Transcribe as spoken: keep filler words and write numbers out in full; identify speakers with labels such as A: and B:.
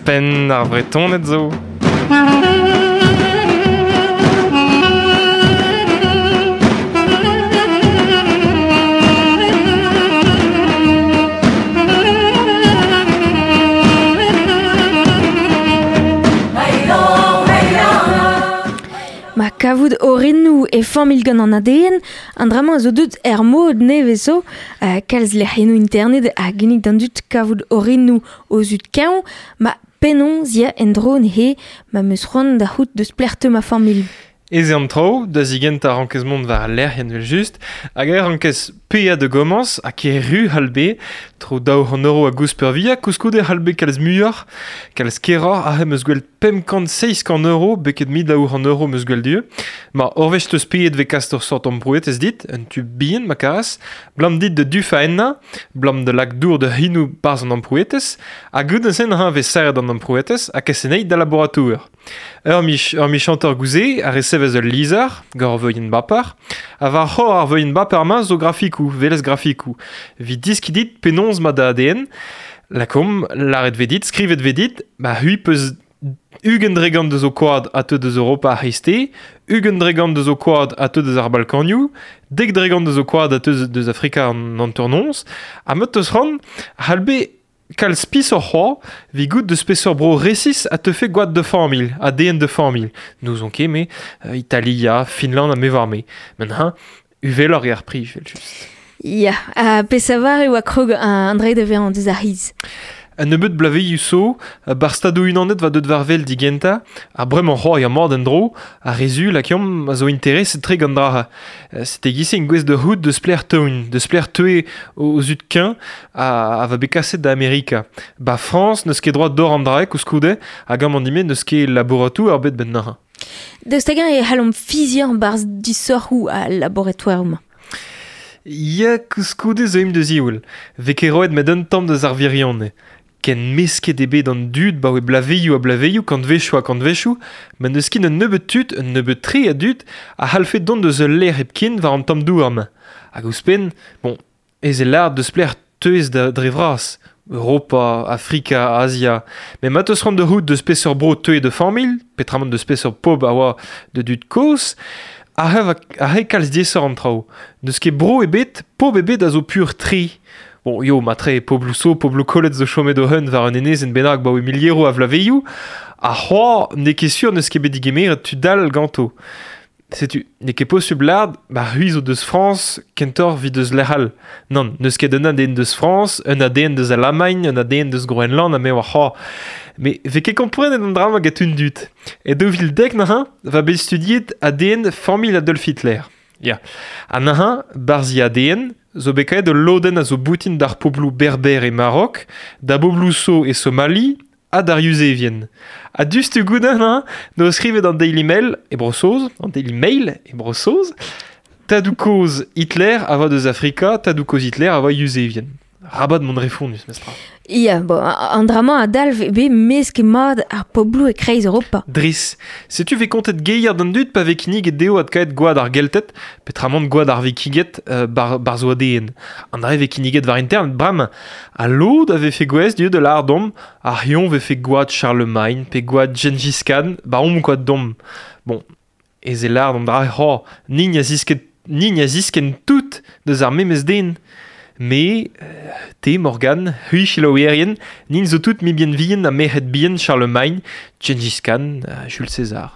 A: Penn ar Vretoned zo.
B: Ma kavout orennoù e familh gant an A D N, an dra-mañ a zo deut er mod nevez zo, uh, kalz lec'hiennoù internet a ginnig d'an dud kavout orennoù o zud keñv, ma penaos ya en-dro neuze ma 'm eus c'hoant da c'hoût deus pelec'h teu ma familh.
A: Ez eo an traoù, da zigent a rankez mont war al lec'hienn evel just, hag e rankez paeañ da gomañs ha ker-ru c'hall bet, tro daou c'hant euro a goust peurvuiañ, koulskoude c'hall bet kalz muioc'h, kalz keroc'h aze 'm eus gwellet pemp kant seizh kant euro, beket mil daou c'hant euro 'm eus gwellet du. Ma ur wech teus paeet 'vez kas ur sort amprouet ez dit, un tu bihan ma karas, blam dit da dufañ ennañ, blam da lak dour da c'hinoù barzh an amprouetez, ha goude-se neuze 'vez serret an amprouetez ha kaset anezhi da laboratour. Ur mich, ur michantor gouze a resevez ul lizher, gant ur veuienn baper, ha war c'hor ar veuienn baper-mañ zo grafikoù, velez grafikoù. Evit diskiñ dit penaos ma da A D N, lakomp, lâret 'vez dit, skrivet 'vez dit, ba c'hwi peus ugent dregant deus ho koad a teu deus Europa ar c'hreisteiz, ugent dregant deus ho koad a teu deus ar Balkanioù, dek dregant deus ho koad a teu deus Afrika an hanternoz, ha ma teus c'hoant, c'hall bet kalz pis oc'h c'hoaz, 'vit goût deus peseurt bro resis a teufe gwad de familh, A D N de familh. N'ouzon ket, me, euh, Italia, Finland ha me war me. Men hein, uveloc'h eo ar prix, evel just.
B: Ya, ha pesavar e oa krog an dre da vezañ deus ar c'hiz.
A: Un nebeud blavezhioù zo, bar stadoù unanet va deut war wel digentañ, ha bremañ c'hoaz ya mat en-dro, ar re zu lakeomp a zo intereset tre gant dra. C'était gise en gwez de c'hout deus plec'h teun, deus plec'h teue o zud keñv a, a va bet kaset da Amerika. Ba Frañs n'eus ket droit d'or an draek koulskoude, hag amañ dime n'eus ket laboratoù ar bet ben naha.
B: Daoust hag-eñ e c'hallomp fiziañ barzh disoc'hoù al laboratoer-mañ.
A: Ya koulskoude zo im deus ioul. Vez ket roet met un tamm deus ar virionez. Ken mesket eo bet an dud ba oe blaveioù ha blaveioù, kantvechoù ha kantvechoù, ma n'eus ket un nebeud tud, un nebeud tre a dud, a c'hallfe dont deus ul lec'h hepken war an tamm douar-mañ. Hag ouzhpenn, bon, ez eo lâret deus pelec'h teuez da dre vras, Europa, Afrika, Azia. Met ma teus c'hoant da c'hoût deus peseurt bro teuez de familh, petramant deus peseurt pobl a oa de dud kozh, aze va, aze kalz diaesoc'h an traoù. N'eus ket bro ebet, pobl ebet a zo pur tre. Bon, yo, matre, pobloù so, pobloù kollet zo chomet o hun war un enezenn bennak ba oe milieroù a vlaveioù, ha c'hoaz n'eo ket sur n'eus ket bet digemeret tud all ganto. Setu, n'eo ket posubl lâret, ba c'hwi zo deus Frañs, kentoc'h 'vit deus lec'h all. Nann, n'eus ket un A D N deus Frañs, un A D N deus Alamagn, un A D N deus Groenland, ha me oar c'hoaz. Mais 'vez ket komprenet an dra-mañ gant un dud. E daou vil dek neuze, va bet studiet A D N familh Adolf Hitler. Ya. Ha neuze, barzh I A D N, zo bet kaet ul lodenn a zo boutin d'ar pobloù berber e Marok, da bobloù so e Somali, ha d'ar Yuzevien. Ha diouzhtu goude, hein, no skrivet an Daily Mail e Bro-Saoz, an Daily Mail e Bro-Saoz, tadoù-kozh Hitler a va deus Afrika, tadoù-kozh Hitler a va Yuzevien. Rabat mont refondus, mestra.
B: Ya, bon, an dra-mañ a dalv eo bet mesket mat ar pobloù e-kreiz Europa.
A: Dris, setu 'vez kontet geier d'an dud pa vez kinniget dezho adkaet gwad ar Gelted, petramant gwad ar Vikinged, euh, bar, bar zo A D N. An dra 'vez kinniget war internet bremañ. Ha lod a vefe gwez diouzh de lâr domp, ar c'hion 'vefe gwad Charlemagne pe gwad Gengis Khan, ba omp gwad domp. Bon, ez e lâr d'an dra c'hoaz, nin a zisket, nin a zisken tout deus ar memes den. Me, euh, te, Morgan, c'hwi selaouerien, nin zo tout mibien vihan ha merc'hed bihan Charlemagne, Gengis Khan, euh, Jules César.